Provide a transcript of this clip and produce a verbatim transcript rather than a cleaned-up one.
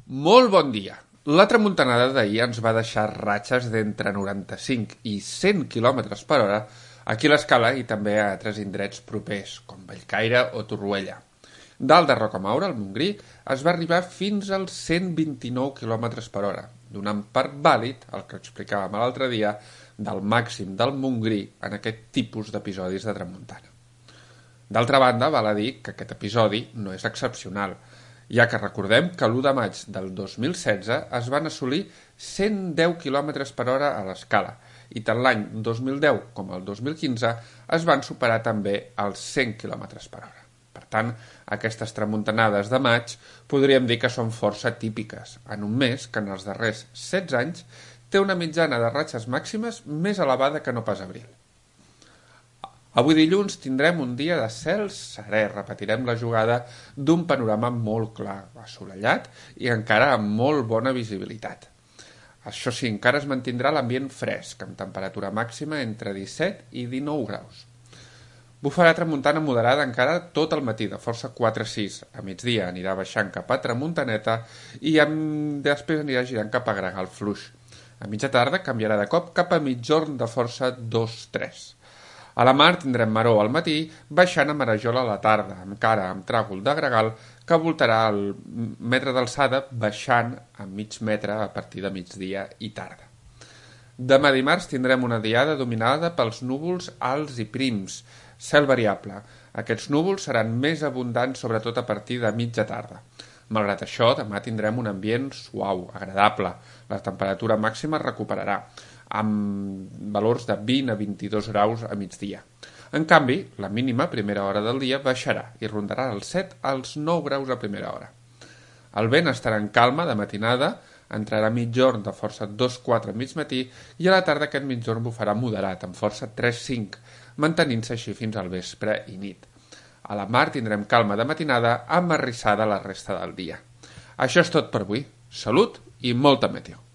Molt bon dia! La tramuntanada d'ahir ens va deixar ratxes d'entre noranta-cinc i cent quilòmetres per hora aquí a l'Escala i també a altres indrets propers, com Bellcaire o Torroella. Dalt de Rocamaura, al Montgrí, es va arribar fins als cent vint-i-nou quilòmetres per hora, donant per vàlid, el que explicàvem l'altre dia, del màxim del Montgrí en aquest tipus d'episodis de tramuntana. D'altra banda, val a dir que aquest episodi no és excepcional, ja que recordem que l'u de maig del dos mil setze es van assolir cent deu quilòmetres per hora a l'Escala i tant l'any dos mil deu com el dos mil quinze es van superar també els cent quilòmetres per hora. Per tant, aquestes tramuntanades de maig podríem dir que són força típiques, en un mes que en els darrers setze anys té una mitjana de ratxes màximes més elevada que no pas abril. Avui dilluns tindrem un dia de cel serè, repetirem la jugada d'un panorama molt clar, assolellat i encara amb molt bona visibilitat. Això sí, encara es mantindrà l'ambient fresc, amb temperatura màxima entre disset i dinou graus. Bufarà tramuntana moderada encara tot el matí, de força quatre a sis. A migdia anirà baixant cap a Tramuntaneta i amb... després anirà girant cap a Gregal Fluix. A mitja tarda canviarà de cop cap a migjorn de força dos a tres. A la mar tindrem maror al matí, baixant a Marajola a la tarda, encara amb tràgol de gregal que voltarà el metre d'alçada baixant a mig metre a partir de migdia i tarda. Demà dimarts tindrem una diada dominada pels núvols alts i prims, cel variable. Aquests núvols seran més abundants sobretot a partir de mitja tarda. Malgrat això, demà tindrem un ambient suau, agradable. La temperatura màxima es recuperarà, amb valors de vint a vint-i-dos graus a migdia. En canvi, la mínima a primera hora del dia baixarà i rondarà els set als nou graus a primera hora. El vent estarà en calma de matinada, entrarà a migjorn de força dos a quatre a mig matí i a la tarda aquest migjorn bufarà moderat, amb força tres a cinc, mantenint-se així fins al vespre i nit. A la mar tindrem calma de matinada amb arrissada la resta del dia. Això és tot per avui. Salut i molta meteo.